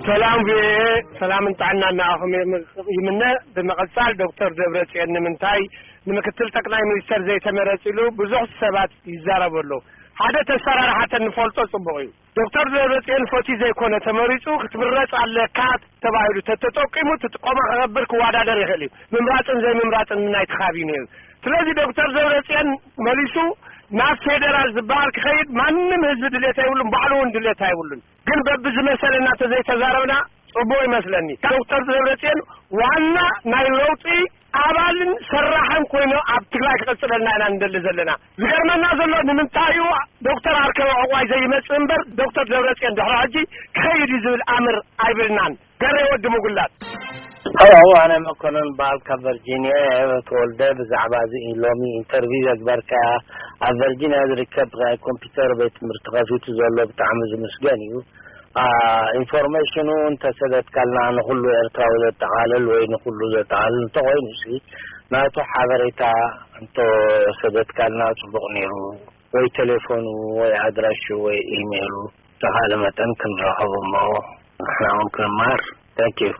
ሰላም ቪኦኤ፣ ሰላምን ጥዕናን ንኣኹም ይም-፣ ይምነ። ብምቕጻል ዶክተር ደብረጽዮን ንምንታይ ንምክትል ጠቅላይ ሚኒስተር ዘይተመረጽ ኢሉ ብዙሕ ሰባት ይዛረቡ ኣለዉ። ሓደ ተሰራርሓተን ንፈልጦ ጽቡቕ እዩ። ዶክተር ደብረጽዮን ፈትዩ ዘይኮነ ተመሪጹ፣ ክትምረጽ ኣለካ ተባሂሉ ተተጠቂሙ፣ ትጥቆማ ክገብር ክወዳደር ይኽእል እዩ። ምምራጽን ዘይምምራጽን ናይቲ ካቢነ እዩ። ስለዚ ዶክተር ደብረጽዮን መሊሱ ናብ ፌደራል ዝበሃል ክኸይድ ማንም ህዝቢ ድሌት ኣይብሉን፣ ባዕሉ እውን ድሌት ኣይብሉን። ግን በብዝመሰለና ተዘይተዛረብና ጽቡቕ ይመስለኒ። ዶክተር ደብረጽዮን ዋና ናይ ለውጢ ኣባልን ሰራሕን ኮይኑ ኣብ ትግራይ ክቐጽለልና ኢና እንደሊ ዘለና። ዝገርመና ዘሎ ንምንታይ እዩ ዶክተር ኣርከበ ዕቋይ ዘይመጽእ እምበር ዶክተር ደብረጽዮን ድሕሪ ሕጂ ክኸይድ እዩ ዝብል ኣምር ኣይብልናን። ገሬ ወዲ ምጉላት። ሄሎ፣ ኣነ መኮነን በዓል ካብ ቨርጂኒያ እየ ተወልደ። ብዛዕባ እዚ ሎሚ ኢንተርቪው ዘግበርካ ኣብ ቨርጂኒያ ዝርከብ ናይ ኮምፒውተር ቤት ትምህርቲ ከፊቱ ዘሎ ብጣዕሚ ዝምስገን እዩ። አ፣ ኢንፎርሜሽኑ እንተሰደድካልና ንኹሉ ኤርትራዊ ዘጠቓልል ወይ ንኹሉ ዘጠቓልል እንተኾይኑ ሲ ናቱ ሓበሬታ እንተሰደድካልና ጽቡቕ ነይሩ። ወይ ቴሌፎኑ ወይ ኣድራሹ ወይ ኢሜይሉ ተኻለ መጠን ክንረኸቦ እሞ ንሕና እውን ክንማር። Thank you።